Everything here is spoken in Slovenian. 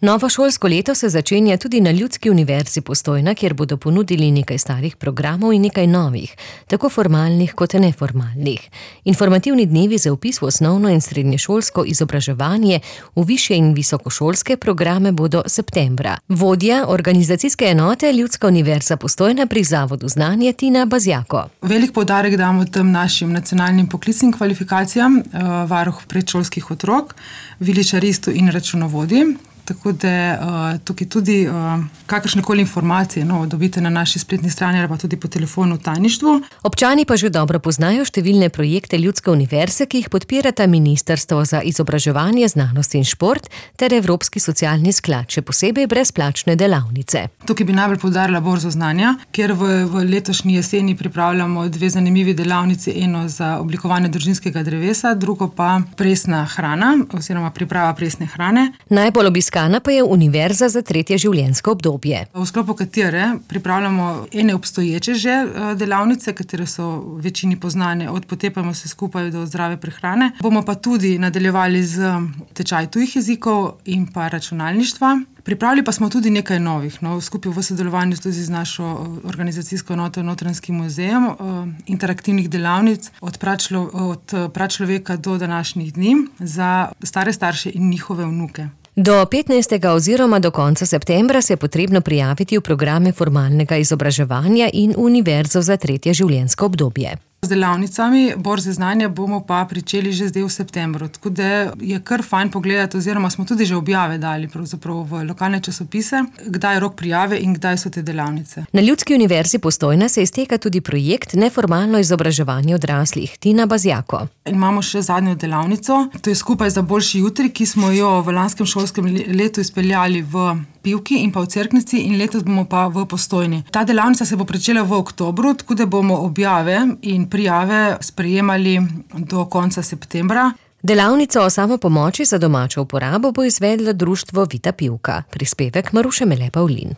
Novo šolsko leto se začenja tudi na Ljudski univerzi Postojna, kjer bodo ponudili nekaj starih programov in nekaj novih, tako formalnih kot neformalnih. Informativni dnevi za vpis v osnovno in srednješolsko izobraževanje v višje in visokošolske programe bodo septembra. Vodja organizacijske enote Ljudska univerza Postojna pri Zavodu Znanje Tina Bazjako. Velik poudarek damo tem našim nacionalnim poklicnim kvalifikacijam, varuh predšolskih otrok, viličaristu in računovodji. Tako da tukaj tudi kakršnekoli informacije dobite na naši spletni strani ali pa tudi po telefonu v tajništvu. Občani pa že dobro poznajo številne projekte Ljudske univerze, ki jih podpirata Ministrstvo za izobraževanje, znanost in šport ter Evropski socialni sklad, še posebej brezplačne delavnice. Tukaj bi najbolj poudarila borzo znanja, kjer v letošnji jeseni pripravljamo 2 zanimivi delavnici, eno za oblikovanje družinskega drevesa, drugo pa presna hrana oziroma priprava presne hrane. Najbolj obiskana pa je Univerza za tretje življenjsko obdobje. V sklopu katere pripravljamo ene obstoječe že delavnice, katere so večini poznane, od potepajmo se skupaj do zdrave prehrane. Bomo pa tudi nadaljevali z tečaj tujih jezikov in pa računalništva. Pripravili pa smo tudi nekaj novih, skupaj v sodelovanju tudi z našo organizacijsko enoto Notranjskim muzejem, interaktivnih delavnic od pračloveka do današnjih dni za stare starše in njihove vnuke. Do 15. oziroma do konca septembra se je potrebno prijaviti v programe formalnega izobraževanja in Univerzo za tretje življenjsko obdobje. Z delavnicami borze znanja bomo pa pričeli že zdaj v septembru, tako da je kar fajn pogledati, oziroma smo tudi že objave dali pravzaprav v lokalne časopise, kdaj je rok prijave in kdaj so te delavnice. Na Ljudski univerzi Postojna se izteka tudi projekt Neformalno izobraževanje odraslih Tina Bazjako. Imamo še zadnjo delavnico, to je Skupaj za boljši jutri, ki smo jo v lanskem šolskem letu izpeljali v Pivki in pa v Cerknici in letos bomo pa v Postojni. Ta delavnica se bo pričela v oktobru, tako da bomo objave in prijave sprejemali do konca septembra. Delavnico o samopomoči za domačo uporabo bo izvedlo društvo Vita Pivka. Prispevek Maruše Mele Pavlin.